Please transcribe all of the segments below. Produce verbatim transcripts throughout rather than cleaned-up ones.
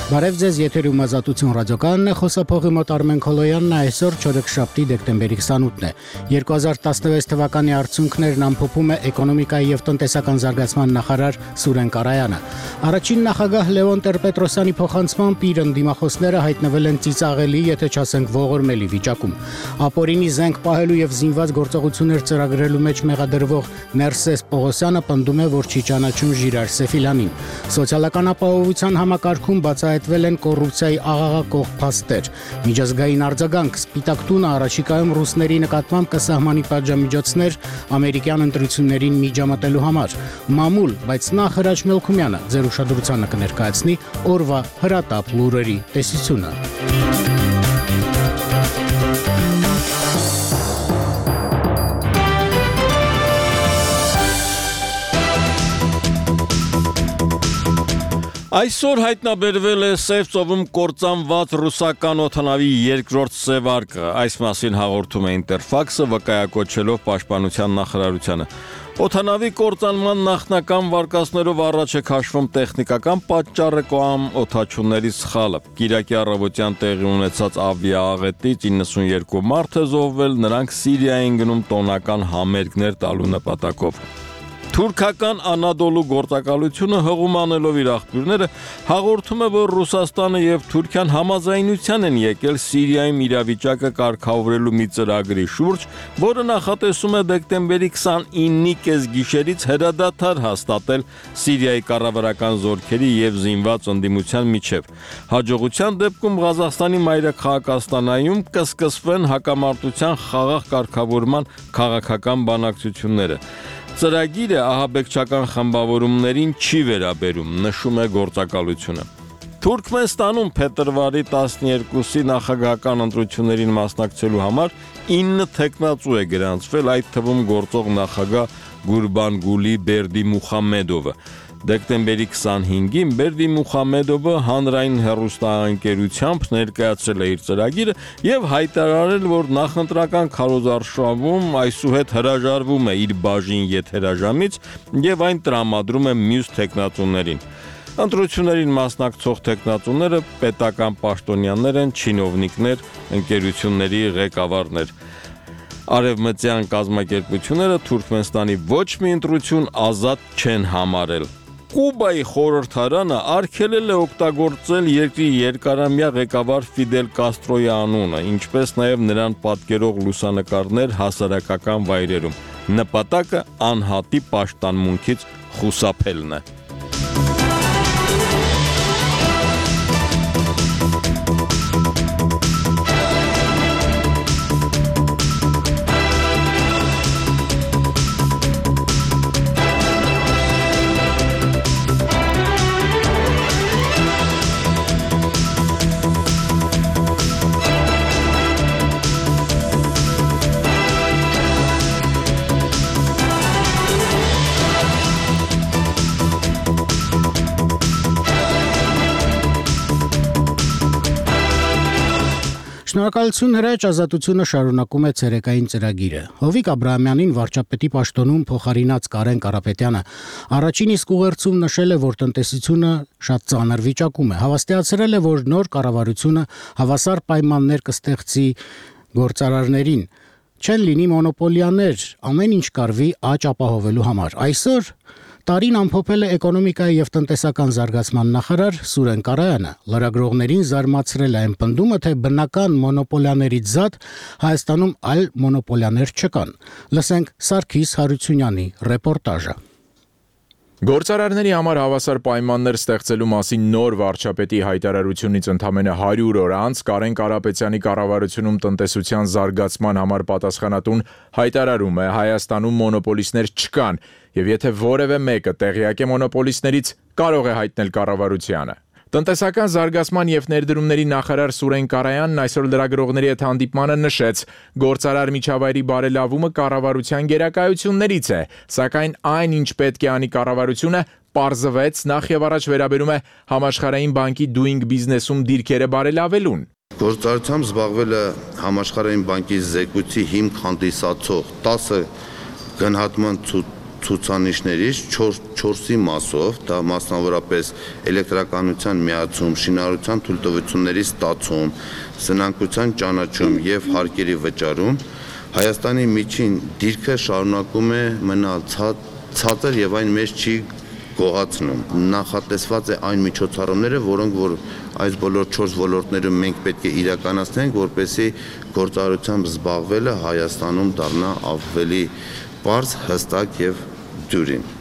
Բարև ձեզ, եթերում Ազատություն ռադիոկայանն է, խոսափողի մոտ Արմեն Քոլոյանն է, այսօր չորեքշաբթի դեկտեմբերի քսանութն է։ երկու հազար տասնվեց թվականի արդյունքներն ամփոփում է էկոնոմիկայի եւ տնտեսական զարգացման նախարար Սուրեն Կարայանը։ Առաջին նախագահ Լևոն Տեր-Պետրոսյանի փոխանցմամբ իր ընդդիմախոսները հայտնվել են ծիծաղելի, եթե չասենք ողորմելի վիճակում։ Ապօրինի զենք պահելու եւ զինված գործողություններ ծրագրելու մեջ մեղադրվող Ներսես Պողոսյանը պնդում է, որ չի ճանաչում Ժիրար Սեֆիլյանին։ Սոցիալական ապահովության համակարգում բացահայտվել են կոռուպցիայի աղաղակող փաստեր։ Միջազգային արձագանք Սպիտակ տունը առաջիկայում ռուսների նկատմամբ կսահմանի պատժամիջոցներ ամերիկյան ընտրություններին միջամտելու համար։ Մամուլ, բայց նախ Հրաչ Մելքումյանը ձեր ուշադրությանը կներկայացնի օրվա հրատապ լուրերի տեսությունը։ Այսօր հայտնաբերվել է Սև ծովում կործանված ռուսական օդանավի երկրորդ սևարկը, այս մասին հաղորդում է Ինտերֆաքսը, վկայակոչելով Պաշտպանության նախարարությանը։ Օդանավի կործանման նախնական վարկածներով առաջ է քաշվում տեխնիկական պատճառը կամ օդաչուների սխալը։ Կիրակի առավոտյան տեղի ունեցած ավիաաղետից իննսունյերկու մարդ է զոհվել, նրանք Սիրիա են գնում տոնական համերգներ տալու նպատակով։ Թուրքական Անադոլու գործակալությունը հղում անելով իր աղբյուրները հաղորդում է, որ Ռուսաստանը եւ Թուրքիան համաձայնության են եկել Սիրիայում իրավիճակը կարգավորելու մի ծրագրի շուրջ, որը նախատեսում է դեկտեմբերի քսանինի կեսգիշերից հրադադար հաստատել Սիրիայի կառավարական զորքերի եւ զինված ընդդիմության միջև։ Հաջողության դեպքում Ղազախստանի մայրաքաղաք Աստանայում կսկսվեն հակամարտության խաղաղ կարգավորման քաղաքական բանակցությունները։ Ծրագիրը ահաբեկչական խմբավորումներին չի վերաբերում, նշում է գործակալությունը։ Թուրքմենստանում փետրվարի տասներկուսի նախագահական ընտրություններին մասնակցելու համար ինը թեկնածու է գրանցվել, այդ թվում գործող նախագահ Գուրբանգուլի Բերդի Մուխամեդովը։ Դեկտեմբերի քսանհինգին Բերդի Մուխամեդովը հանրային հեռուստաընկերությամբ ներկայացրել է իր ծրագիրը եւ հայտարարել, որ նախընտրական քարոզարշավում այսուհետ հրաժարվում է իր բաժին եթերաժամից եւ այն տրամադրում է մյուս թեկնածուներին։ Ընտրություններին մասնակցող թեկնածուները պետական պաշտոնյաներ են, չինովնիկներ, ընկերությունների ղեկավարներ։ Արևմտյան կազմակերպությունները Թուրքմենստանի ոչ մի ընտրություն ազատ չեն համարել։ Կուբայի խորհրդարանը արգելել է օգտագործել երկրի երկարամյա ղեկավար Ֆիդել Կաստրոյի անունը, ինչպես նաև նրան պատկերող լուսանկարներ հասարակական վայրերում։ Նպատակը անհատի պաշտամունքից խուսափելն է։ Շնորհակալություն Հրաչ, Ազատությունը շարունակում է ցերեկային ծրագիրը։ Հովիկ Աբրահամյանին վարչապետի պաշտոնում փոխարինած Կարեն Կարապետյանը առաջին իսկ ուղերձում նշել է, որ տնտեսությունը շատ ծանր վիճակում է։ Հավաստիացրել է, որ նոր կառավարությունը հավասար պայմաններ կստեղծի գործարարներին, չեն լինի մոնոպոլիաներ, ամեն ինչ կարվի աճ ապահովելու համար։ Այսօր տարին ամփոփել է էկոնոմիկայի եւ տնտեսական զարգացման նախարար Սուրեն Կարայանը, լրագրողներին զարմացրել է այն պնդումը, թե բնական մոնոպոլիաներից զատ Հայաստանում այլ մոնոպոլիաներ չկան։ Լսենք Սարգիս Հարությունյանի ռեպորտաժը։ Գործարարների համար հավասար պայմաններ ստեղծելու մասին նոր վարչապետի հայտարարությունից ընդամենը հարյուր օր անց Կարեն Կարապետյանի կառավարությունում տնտեսության զարգացման համար պատասխանատուն հայտարարում է Հայաստանում մոնոպոլիստներ չկան եւ եթե որևէ մեկը տեղյակ է մոնոպոլիստներից, կարող է հայտնել կառավարությանը։ Տնտեսական զարգացման եւ ներդրումների նախարար Սուրեն Կարայանն այսօր լրագրողների հետ հանդիպմանը նշեց, գործարար միջավայրի բարելավումը կառավարության գերակայություններից է, սակայն այն, ինչ պետք է անի կառավարությունը, պարզվեց նախ եւ առաջ վերաբերում է Համաշխարհային բանկի Doing Business-ում դիրքերը բարելավելուն։ Գործարարությամբ զբաղվել է Համաշխարհային բանկի զեկույցի հիմք հանդիսացող տասը գնահատման ցուցանիշներից չորսի մասով, դա մասնավորապես էլեկտրականության միացում, շինարարության թույլտվությունների ստացում, սնանկության ճանաչում եւ հարկերի վճարում, Հայաստանի միջին դիրքը շարունակում է մնալ ցածր եւ այն մեծ չի գոհացնում։ Նախատեսված է այն միջոցառումները, որոնք որ այս բոլոր չորս ոլորտներում մենք պետք է իրականացնենք, որպեսզի գործարարությամբ զբաղվելը Հայաստանում դառնա ավելի պարզ, հստակ եւ դյուրին։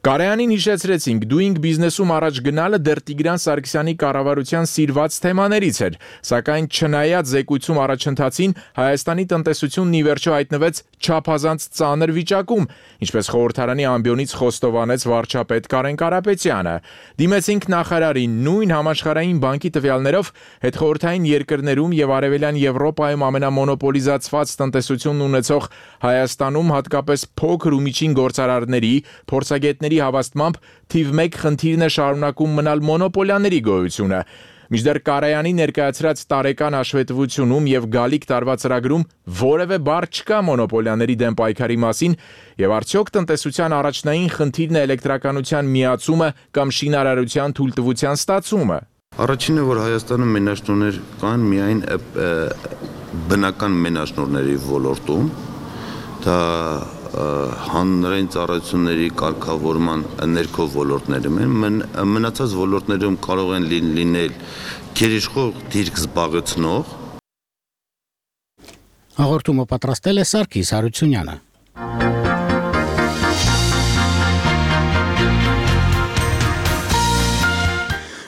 Կարեանին հիշեցրեցինք, doing business-ում առաջ գնալը դեռ Տիգրան Սարգսյանի կառավարության սիրված թեմաներից էր, սակայն չնայած զեկույցում առաջընթացին Հայաստանի տնտեսությունն ի վերջո հայտնվեց չափազանց ծանր վիճակում, ինչպես խորհրդարանի ամբիոնից խոստովանեց վարչապետ Կարեն Կարապետյանը։ Դիմեցինք նախարարին, նույն համաշխարհային բանկի տվյալներով հետխորհրդային երկրներում եւ Արևելյան Եվրոպայում ամենամոնոպոլիզացված տնտեսությունն ունեցող Հայաստանում հատկապես փոքր ու միջին գործարարների, փորձագետների հավաստմամբ թիվ մեկ խնդիրն է շարունակում մնալ մոնոպոլիաների գոյությունը։ Մինչդեռ Կարայանի ներկայացրած տարեկան հաշվետվությունում եւ գալիք տարվա ծրագրում որևէ բառ չկա մոնոպոլիաների դեմ պայքարի մասին եւ արդյոք տնտեսության առաջնային խնդիրն է էլեկտրականության միացումը կամ շինարարության թույլտվության ստացումը։ Առաջինը, որ Հայաստանում մենաշնորհներ կան միայն բնական մենաշնորհների ոլորտում, դա հանրային ծառայությունների կարգավորման ներքո ոլորտներում են, մնացած ոլորտներում կարող են լինել գերիշխող դիրք զբաղեցնող։ Հաղորդումը պատրաստել է Սարգիս Հարությունյանը։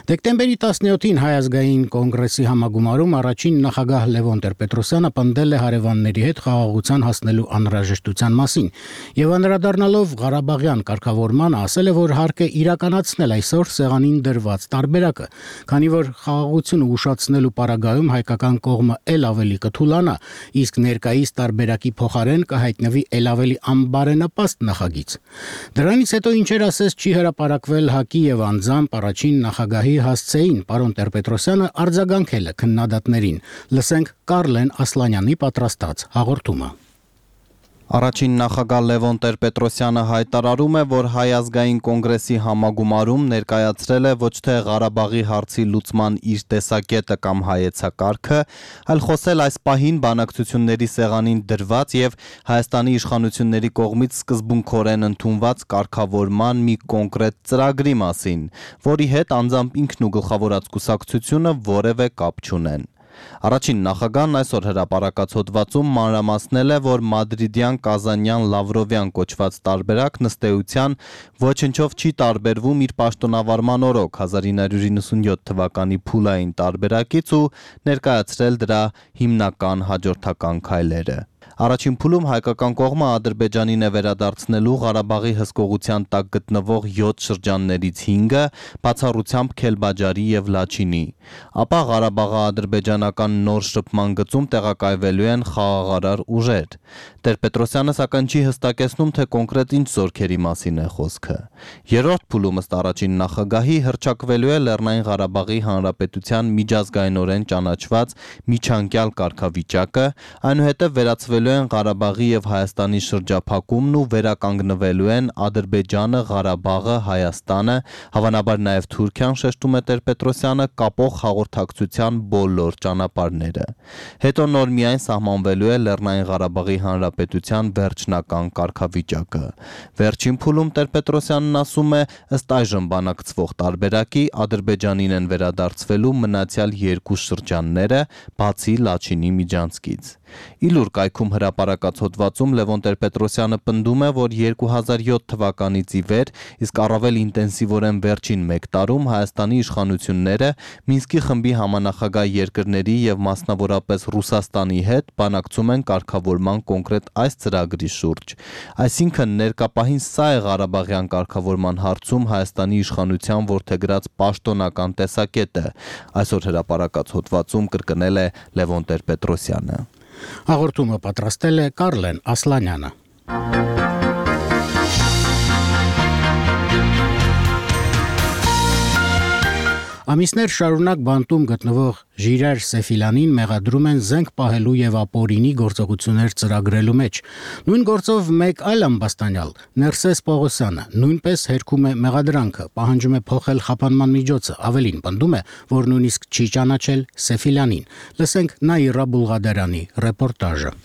Դեկտեմբերի տասնյոթին Հայ ազգային կոնգրեսի համագումարում առաջին նախագահ Լևոն Տեր-Պետրոսյանը պնդել է հարևանների հետ խաղաղության հասնելու անհրաժեշտության մասին եւ անդրադառնալով Ղարաբաղյան կարգավորմանը ասել է, որ հարկ է իրականացնել այսօր սեղանին դրված տարբերակը, քանի որ խաղաղությունը ուշացնելու պարագայում հայկական կողմը ել ավելի կթուլանա, իսկ ներկայիս տարբերակի փոխարեն կհայտնվի ել ավելի անբարենպաստ նախագիծ։ Դրանից հետո ինչեր ասես չի հրապարակվել ՀԱԿ-ի եւ անձամբ առաջին նախագահի հասցեին պարոն Տեր-Պետրոսյանը արձագանքել է քննադատներին։ Լսենք Կարլեն Ասլանյանի պատրաստած հաղորդումը։ Առաջին նախագահ Լևոն Տեր-Պետրոսյանը հայտարարում է, որ Հայ ազգային կոնգրեսի համագումարում ներկայացրել է ոչ թե Ղարաբաղի հարցի լուծման իր տեսակետը կամ հայեցակարգը, այլ խոսել այս պահին բանակցությունների սեղանին դրված եւ Հայաստանի իշխանությունների կողմից սկզբունքորեն ընդունված կարգավորման մի կոնկրետ ծրագրի մասին, որի հետ անձամբ ինքն ու գլխավորած կուսակցությունը որևէ կապ չունեն։ Առաջին նախագահն այսօր հրապարակած հոդվածում մանրամասնել է, որ մադրիդյան, կազանյան, լավրովյան կոչված տարբերակն ըստ էության ոչնչով չի տարբերվում իր պաշտոնավարման օրոք հազար ինը հարյուր իննսունյոթ թվականի փուլային տարբերակից ու ներկայացրել դրա հիմնական հաջորդական քայլերը։ Առաջին փուլում հայկական կողմը Ադրբեջանին է վերադարձնելու Ղարաբաղի հսկողության տակ գտնվող յոթ շրջաններից հինգը, բացառությամբ Քելբաջարի եւ Լաչինի։ Ապա Ղարաբաղը ադրբեջանական նոր շփման գծում տեղակայվելու են խաղաղարար ուժեր։ Տեր-Պետրոսյանը սակայն չի հստակեցնում, թե կոնկրետ ինչ զորքերի մասին է խոսքը։ Երրորդ փուլում ըստ առաջին նախագահի հռչակվելու է Լեռնային Ղարաբաղի Հանրապետության միջազգայինորեն ճանաչված միջանկյալ կարգավիճակը, այնուհետև վերացվելու են Ղարաբաղի եւ Հայաստանի շրջափակումն ու վերականգնվելու են Ադրբեջանը, Ղարաբաղը, Հայաստանը, հավանաբար նաեւ Թուրքիան, շեշտում է Տեր-Պետրոսյանը, կապող հաղորդակցության բոլոր ճանապարհները։ Հետո նոր միայն սահմանվելու է Լեռնային Ղարաբաղի Հանրապետության վերջնական կարգավիճակը։ Վերջին փուլում Տեր-Պետրոսյանն ասում է, ըստ այժմ բանակցվող տարբերակի Ադրբեջանին են վերադարձվելու մնացյալ երկու շրջանները, բացի Լաչինի միջանցքից։ Իլուր կայքում հրապարակած հոդվածում Լևոն Տեր-Պետրոսյանը պնդում է, որ երկու հազար յոթ թվականից ի վեր, իսկ առավել ինտենսիվորեն վերջին մեկ տարում Հայաստանի իշխանությունները Մինսկի խմբի համանախագահ երկրների եւ մասնավորապես Ռուսաստանի հետ բանակցում են կարգավորման կոնկրետ այս ծրագրի շուրջ։ Այսինքն ներկապահին սա է Ղարաբաղյան կարգավորման հարցում Հայաստանի իշխանության որդեգրած պաշտոնական տեսակետը, այսօր հրապարակած հոդվածում կրկնել է Լևոն Տեր-Պետրոսյանը։ Հաղորդումը պատրաստել է Կարլեն Ասլանյանը։ Ամիսներ շարունակ բանտում գտնվող Ժիրայր Սեֆիլյանին մեղադրում են զենք պահելու եւ ապօրինի գործողություններ ծրագրելու մեջ։ Նույն գործով մեկ այլ ամբաստանյալ, Ներսես Պողոսյանը, նույնպես հերքում է մեղադրանքը, պահանջում է փոխել խափանման միջոցը, ավելին պնդում է, որ նույնիսկ չի ճանաչել Սեֆիլյանին։ Լսենք Նաիրա Բուլղադարյանի ռեպորտաժը։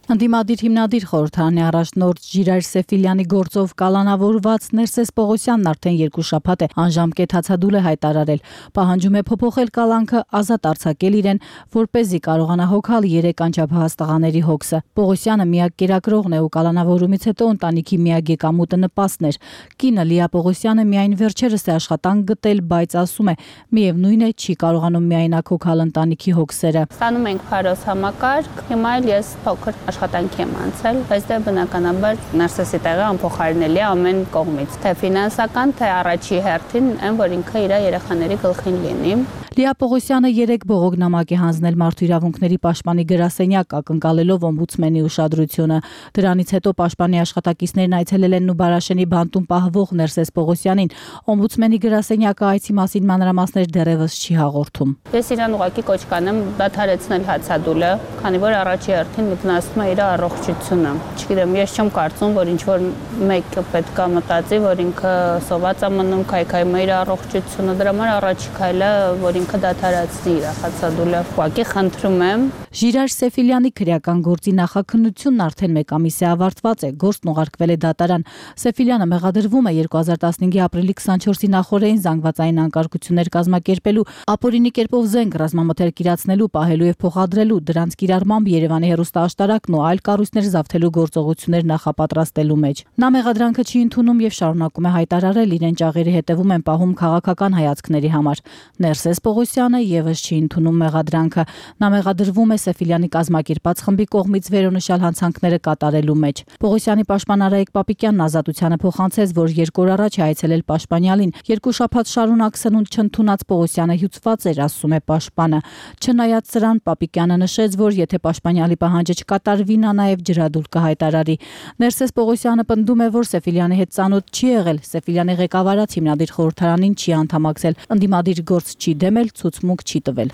Ընդդիմադիր հիմնադիր խորհրդարանի առաջնորդ Ժիրայր Սեֆիլյանի գործով կալանավորված Ներսես Պողոսյանն արդեն երկու շաբաթ է անժամկետ հացադուլ է հայտարարել, պահանջում է փոփոխել կալանքը, ազատ արձակել իրեն, որպեսզի կարողանա հոգալ երեք անչափահաս տղաների հոգսը։ Պողոսյանը միակ կերակրողն է ու կալանավորումից հետո ընտանիքի միակ եկամուտը նպաստն էր։ Կինը Լիա Պողոսյանը միայն վերջերս է աշխատանք գտել, բայց ասում է, միևնույն է, չի կարողանում միայնակ հոգալ ընտանիքի հոգսերը։ Ստանում ենք փարոս համակարգ, հիմա էլ ես փոքր աշխատանքի եմ անցել, բայց դե բնականաբար Ներսեսի տեղը անփոխարինելի է ամեն կողմից, թե ֆինանսական, թե առաջի հերթին, այն որ ինքը իր երեխաների գլխին լինի։ Լիա Պողոսյանը երեք բողոքնամակ է հանձնել Մարդու իրավունքների պաշտպանի գրասենյակ, ակնկալելով օմբուդսմենի ուշադրությունը։ Դրանից հետո պաշտպանի աշխատակիցներն այցելել են Նուբարաշենի բանտում պահվող Ներսես Պողոսյանին։ Օմբուդսմենի գրասենյակը այցի մասին մանրամասներ դեռևս չի հաղորդում։ Ես իրան ուղղակի կոչ կանեմ դադարեցնել հացադուլը, քանի որ առաջի հերթին վնասում է իր առողջությունը։ Չգիտեմ, ես չեմ կարծում, որ ինչ-որ մեկը պետք է մտածի, որ ինքը սոված է մնում, քայքայում է իր առողջությունը, դրա համար առաջի քայլը, որ ինքը դադարեցնի իր հացադուլը։ Ուղղակի խնդրում եմ։ Ժիրայր Սեֆիլյանի քրեական գործի նախաքննությունն արդեն մեկ ամիս է ավարտված է, գործն ուղարկվել է դատարան։ Սեֆիլյանը մեղադրվում է երկու հազար տասնհինգի ապրիլի քսանչորսի նախօրեին զանգվածային անկարգություններ կազմակերպելու, ապօրինի կերպով զենք ռազմամթերք իրացնելու, պահելու եւ փոխադրելու, դրանց կիրառմամբ Երևանի հեռուստաաշտարակն ու այլ կառույցներ զավթելու գործողություններ նախապատրաստելու մեջ։ Նա մեղադրանքը չի ընդունում եւ շարունակում է հայտարարել, իրեն ճաղերի հետևում են պահում քաղաքական հայացքների համար։ Ներսես Պողոսյանը եւս չի ընդունում մեղադրանքը։ Նա մեղադրվում է Սեֆիլյանի կազմակերպած խմբի կողմից վերոնշյալ հանցանքները կատարելու մեջ։ Պողոսյանի պաշտպան Արայիկ Պապիկյանն ազատությանը փոխանցեց, որ երկու օր առաջ է այցելել պաշտպանյալին։ Երկու շաբաթ շարունակ սնունդ չընդունած Պողոսյանը հյուծված էր, ասում է պաշտպանը։ Չնայած սրան, Պապիկյանը նշեց, որ եթե պաշտպանյալի պահանջը չկատարվի, նա նաև ջրադուլ կհայտարարի։ Ներսես Պողոսյանը պնդում է, որ Սեֆիլյանի հետ ծանոթ չի եղել, Սեֆիլյանի ղեկավարած հիմնադիր խորհրդարանին չի անդամակցել, ընդդիմադիր գործ չի դեմել, ցուցմունք չի տվել։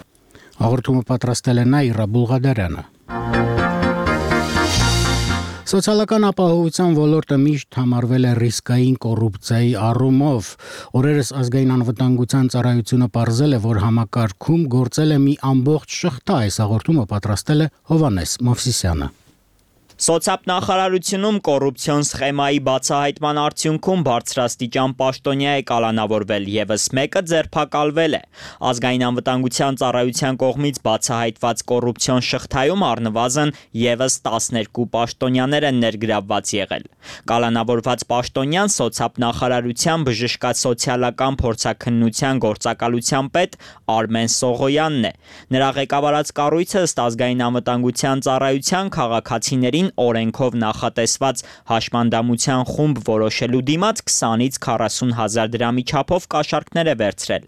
Հաղորդումը պատրաստել է Նաիրա Բուլղադարյանը։ Սոցիալական ապահովության ոլորտը միշտ համարվել է ռիսկային կոռուպցիայի առումով։ Օրերս ազգային անվտանգության ծառայությունը պարզել է, որ համակարգում գործել է մի ամբողջ շղթա, այս հաղորդումը պատրաստել է Հովհաննես Մովսիսյանը։ Սոցիալնախարարությունում կոռուպցիոն սխեմայի բացահայտման արդյունքում բարձրաստիճան պաշտոնյա է կալանավորվել, եւս մեկը ձերբակալվել է։ Ազգային անվտանգության ծառայության կողմից բացահայտված կոռուպցիոն շղթայում առնվազն եւս տասներկու պաշտոնյաներ են ներգրավված եղել։ Կալանավորված պաշտոնյան սոցիալնախարարության բժշկասոցիալական փորձաքննության գործակալության պետ Արմեն Սողոյանն է։ Նրա ղեկավարած կառույցը ըստ ազգային անվտանգության ծառայության քաղաքացիներին օրենքով նախատեսված հաշմանդամության խումբ որոշելու դիմաց քսանից քառասուն հազար դրամի չափով կաշառքներ է վերցրել։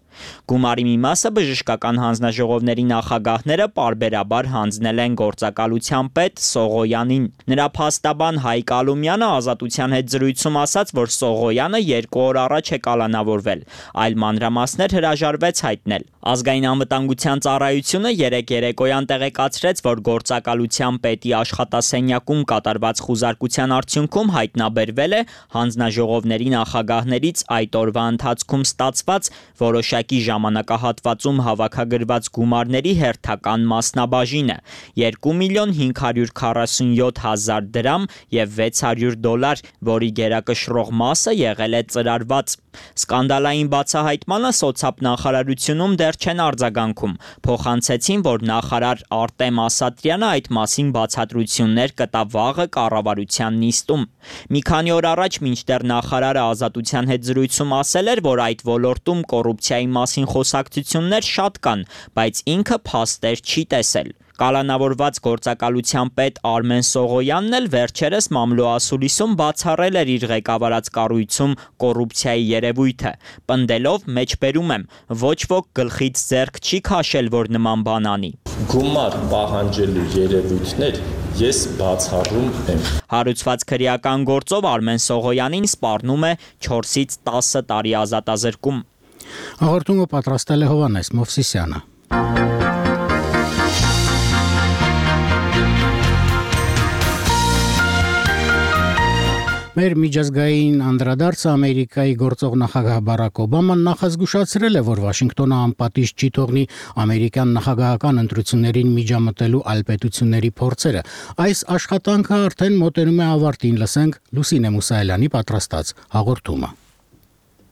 Գումարի մի մասը բժշկական հանձնաժողովների նախագահները պարբերաբար հանձնել են գործակալության պետ Սողոյանին։ Նրա փաստաբան Հայկ Ալումյանը ազատության հետ զրույցում ասաց, որ Սողոյանը երկու օր առաջ է կալանավորվել, այլ մանրամասներ հրաժարվեց հայտնել։ Ազգային անվտանգության ծառայությունը երեկ երեկոյան տեղեկացրեց, որ գործակալության պետի աշխատասենյակում կատարված խուզարկության արդյունքում հայտնաբերվել է հանձնաժողովների նախագահներից այդ օրվա ընթացքում ստացված որոշակի ժամանակահատվածում հավաքագրված գումարների հերթական մասնաբաժինը՝ երկու միլիոն հինգ հարյուր քառասունյոթ հազար դրամ եւ վեց հարյուր դոլար, որի գերակշռող մասը եղել է ծրարված։ Սկանդալային բացահայտմանը սոցիալնախարարությունում դեռ չեն արձագանքում։ Փոխանցեցին, որ նախարար Արտեմ Ասատրյանը այդ մասին բացատրություններ կտա վաղը կառավարության նիստում։ Մի քանի օր առաջ մինչդեռ նախարարը ազատության հետ զրույցում ասել էր, որ այդ ոլորտում կոռուպցիայի մասին խոսակցություններ շատ կան, բայց ինքը փաստեր չի տեսել։ Կալանավորված գործակալության պետ Արմեն Սողոյանն էլ վերջերս Մամլո ասուլիսում բացառել էր իր ղեկավարած կառույցում կոռուպցիայի երևույթը, պնդելով մեջբերում եմ, ոչ ոք գլխից ձեռք չի քաշել, որ նման բան անի։ Գումար պահանջելու երևույթներ ես բացառում եմ։ Հարուցված քրեական գործով Արմեն Սողոյանին սպառնում է չորսից տասը տարի ազատազրկում։ Հաղորդումը պատրաստել է Հովհաննես Մովսիսյանը։ Մեր միջազգային անդրադարձը Ամերիկայի գործող նախագահ Բարակ Օբաման նախազգուշացրել է, որ Վաշինգտոնը անպատիժ չի թողնի ամերիկյան նախագահական ընտրություններին միջամտելու այլ պետությունների փորձերը։ Այս աշխատանքը արդեն մոտենում է ավարտին, լսենք Լուսինե Մուսայելյանի պատրաստած հաղորդումը։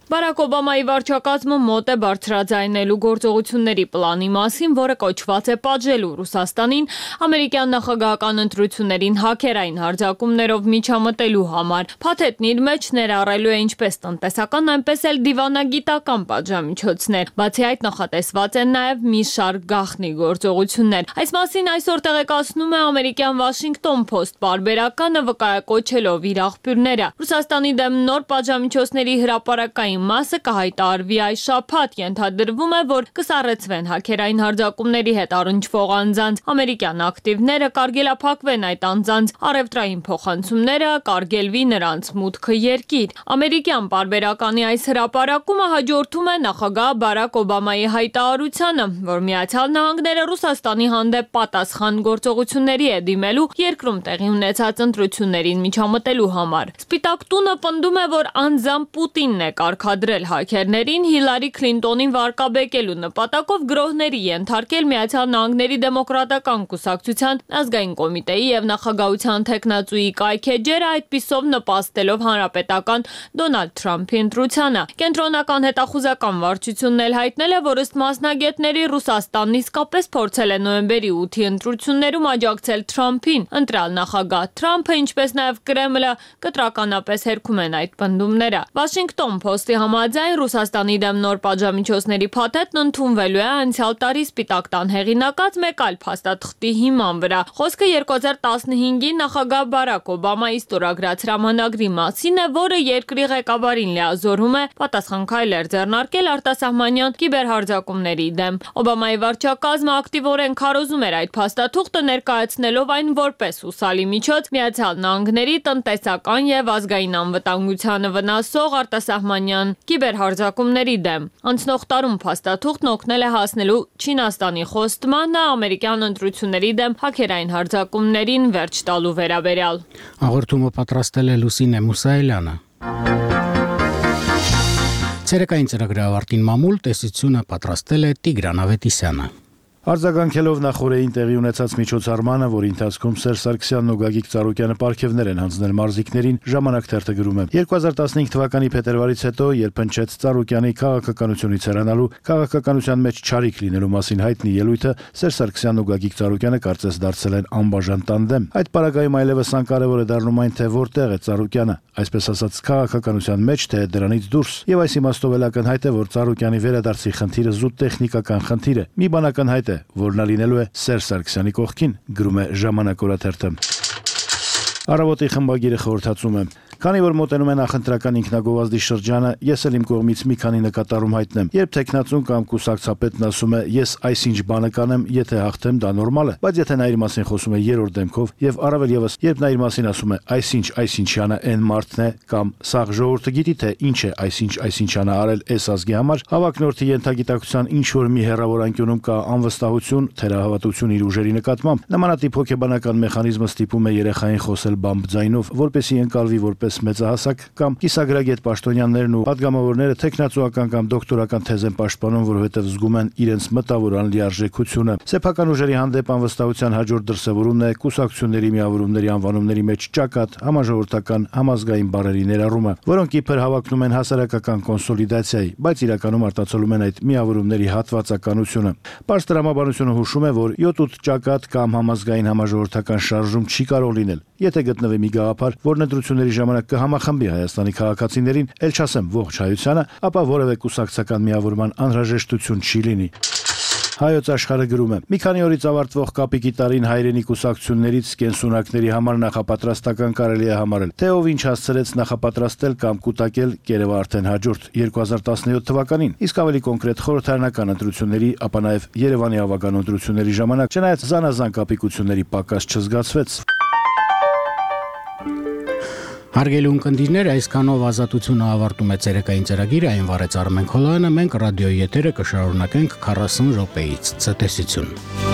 Բարակ Օբամայի վարչակազմը մոտ է բարձրաձայնելու գործողությունների պլանի մասին, որը կոչված է պատժելու Ռուսաստանին ամերիկյան նախագահական ընտրություններին հաքերային հարձակումներով միջամտելու համար։ Փաթեթն իր մեջ ներառելու է ինչպես տնտեսական, այնպես էլ դիվանագիտական պատժամիջոցներ։ Բացի այդ, նախատեսված են նաև մի շարք գաղտնի գործողություններ։ Այս մասին այսօր տեղեկացնում է ամերիկյան Washington Post պարբերականը, վկայակոչելով իր աղբյուրները։ Ռուսաստանի դեմ նոր պատժամիջոցների հրապարակային մասը կհայտարարվի այս շաբաթ, ենթադրվում է, որ կսառեցվեն հաքերային հարձակումների հետ առնչվող անձանց ամերիկյան ակտիվները, կարգելափակվեն այդ անձանց առևտրային փոխանցումները, կարգելվի նրանց մուտքը երկիր։ Ամերիկյան պարբերականի այս հրապարակումը հաջորդում է նախագահ Բարակ Օբամայի հայտարարությանը, որ Միացյալ Նահանգները Ռուսաստանի հանդեպ պատասխան գործողությունների է դիմելու երկրում տեղի ունեցած ընտրություններին միջամտելու համար։ Սպիտակ տունը պնդում է, որ անձամբ Պուտինն է կարգ դրել հաքերներին Հիլարի Քլինտոնին վարկաբեկելու նպատակով գրոհների ենթարկել Միացյալ Նահանգների դեմոկրատական կուսակցության ազգային կոմիտեի եւ նախագահության թեկնածուի կայքեջերը, այդպիսով նպաստելով հանրապետական Դոնալդ Թրամփի ընտրությանը։ Կենտրոնական հետախուզական վարչությունն էլ հայտնել է, որ ըստ մասնագետների Ռուսաստանն իսկապես փորձել է նոյեմբերի ութի ընտրություններում աջակցել Թրամփին։ Ընտրալ նախագահ Թրամփը, ինչպես նաեւ Կրեմլը կտրականապես հերքում են այդ պնդումները։ Washington Post-ի համաձայն Ռուսաստանի դեմ նոր պատժամիջոցների փաթեթն ընդունվելու է անցյալ տարի Սպիտակ տան հեղինակած մեկ այլ փաստաթղթի հիման վրա։ Խոսքը երկու հազար տասնհինգի նախագահ Բարակ Օբամայի ստորագրած հրամանագրի մասին է, որը երկրի ղեկավարին լիազորում է պատասխան քայլեր ձեռնարկել արտասահմանյան կիբերհարձակումների դեմ։ Օբամայի վարչակազմը ակտիվորեն քարոզում էր այդ փաստաթուղթը, ներկայացնելով այն որպես հուսալի միջոց Միացյալ Նահանգների տնտեսական եւ ազգային անվտանգությանը վնասող արտասահմանյան կիբերհարձակումների դեմ։ Անցնող տարում փաստաթուղթն օգնել է հասնելու Չինաստանի խոստմանը ամերիկյան ընտրությունների դեմ հաքերային հարձակումներին վերջ տալու վերաբերյալ։ Հաղորդումը պատրաստել է Լուսինե Մուսայելյանը։ Ցերեկային ծրագրի ավարտին մամուլ տեսությունը պատրաստել է Տիգրան Ավետիսյանը։ Արձագանքելով նախորդին տեղի ունեցած միջոցառմանը, որի ընթացքում Սերժ Սարգսյանն ու Գագիկ Ծառուկյանը պարգևներ են հանձնել մարզիկներին, Ժամանակ թերթը գրում է. երկու հազար տասնհինգ թվականի փետրվարից հետո, երբ հնչեց Ծառուկյանի քաղաքականությունից հեռանալու, քաղաքականության մեջ չարիք լինելու մասին հայտնի ելույթը, Սերժ Սարգսյանն ու Գագիկ Ծառուկյանը կարծես դարձել են անբաժան տանդեմ։ Այդ պարագայում այլևս անկարևոր է դառնում այն, թե որտեղ է Ծառուկյանը, այսպես ասած, քաղաքականության մեջ, թե դրանից դուրս։ Եվ այս իմաստով էլ ակնհայտ է, որ Ծառուկյանի վերադարձի խնդիրը զուտ տեխնիկական խնդիր է։ Մի բան ակնհայտ է, որ նա լինելու է Սերժ Սարգսյանի կողքին, գրում է Ժամանակ օրաթերթը։ Առավոտի խմբագիրը խորհրդածում է. Քանի որ մոտենում է նախընտրական ինքնագովազդի շրջանը, ես էլ իմ կողմից մի քանի նկատառում հայտնեմ։ Երբ տեխնացուն կամ կուսակցապետն ասում է, ես այսինչ բանը կանեմ, եթե հաղթեմ, դա նորմալ է, բայց եթե նա իր մասին խոսում է երրորդ դեմքով, եւ առավել եւս, երբ նա իր մասին ասում է, այսինչ այսինչյանը այն մարդն է, կամ սաղ ժողովուրդը գիտի, թե ինչ է այսինչ այսինչյանը արել այս ազգի համար, հավակնորդի ենթագիտակցության ինչ որ մի հեռավոր անկյունում կա անվստահություն, թերահավատություն իր ուժերի նկատմամբ, նմանատիպ հոգեբանական մեխանիզմը ստիպում է երեխային խոսել բամբ ձայնով, որպեսզի ընկալվի որպես մեծահասակ կամ կիսագրագետ պաշտոնյաներն ու падգամավորները տեխնացուական կամ դոկտորական թեզ են պաշտպանում, որովհետև զգում են իրենց մտավոր անլիարժեքությունը։ Սեփական ուժերի հանդեպ անվստահության հաջորդ դրսևորումն է կուսակցությունների միավորումների անվանումների մեջ ճակատ, համաժողովրդական, համազգային բառերի ներառումը, որոնք իբր հավակնում են հասարակական կոնսոլիդացիայի, բայց իրականում արտացոլում են այդ միավորումների հատվածականությունը։ Պարզ տրամաբանությունը հուշում է, որ յոթ ութ ճակատ կամ համազգային համաժողովրդական շարժում չի կարող լինել, եթե գտնվի մի գաղափար, որն ընտրությունների ժամանակ կհամախմբի Հայաստանի քաղաքացիներին, ել չասեմ ողջ հայությանը, ապա որևէ կուսակցական միավորման անհրաժեշտություն չի լինի։ Հայոց աշխարհը գրում է. մի քանի օրից ավարտվող կապիկի տարին հայրենի կուսակցություններից կենսունակների համար նախապատրաստական կարելի է համարել, թե ով ինչ հասցրեց նախապատրաստել կամ կուտակել Կերևը արդեն հաջորդ երկու հազար տասնյոթ թվականին, իսկ ավելի կոնկրետ խորհրդարանական ընտրությունների, ապա նաև Երևանի ավագան ընտրությունների ժամանակ, չնայած զանազան կապիկությունների պակաս չզգացվեց։ Հարգելի ունկնդիրներ, այսքանով Ազատությունը ավարտում է ցերեկային ծրագիրը, այն վարեց Արմեն Քոլոյանը, մենք ռադիոյի եթերը կշարունակենք քառասուն րոպեից։ Ցտեսություն։